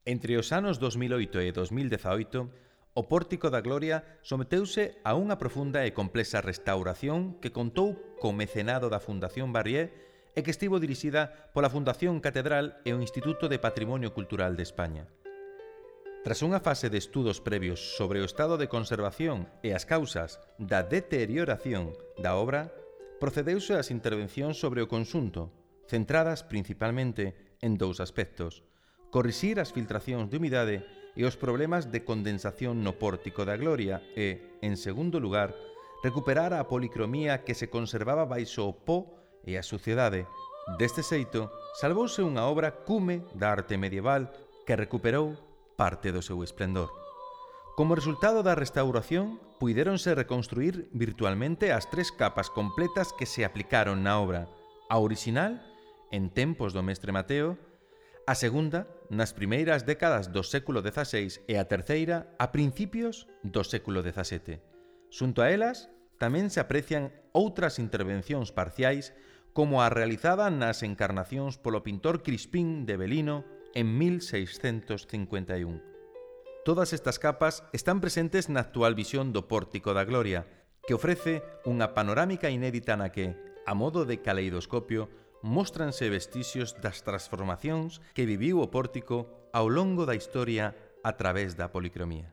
Entre os anos 2008 e 2018, o Pórtico da Gloria someteuse a unha profunda e complexa restauración que contou co mecenado da Fundación Barrié e que estivo dirixida pola Fundación Catedral e o Instituto de Patrimonio Cultural de España. Tras unha fase de estudos previos sobre o estado de conservación e as causas da deterioración da obra, procedeuse ás intervencións sobre o conxunto, centradas principalmente en dous aspectos: corrixir as filtracións de humidade e os problemas de condensación no Pórtico da Gloria e, en segundo lugar, recuperar a policromía que se conservaba baixo o po e a suciedade. Deste xeito, salvouse unha obra cume da arte medieval que recuperou parte do seu esplendor. Como resultado da restauración, puidéronse reconstruir virtualmente as 3 capas completas que se aplicaron na obra: a orixinal, en tempos do mestre Mateo; a segunda, nas primeiras décadas do século XVI e a terceira, a principios do século XVII. Xunto a elas, tamén se aprecian outras intervencións parciais, como a realizada nas encarnacións polo pintor Crispín de Belino en 1651. Todas estas capas están presentes na actual visión do Pórtico da Gloria, que ofrece unha panorámica inédita na que, a modo de caleidoscopio, móstranse vestixios das transformacións que viviu o pórtico ao longo da historia a través da policromía.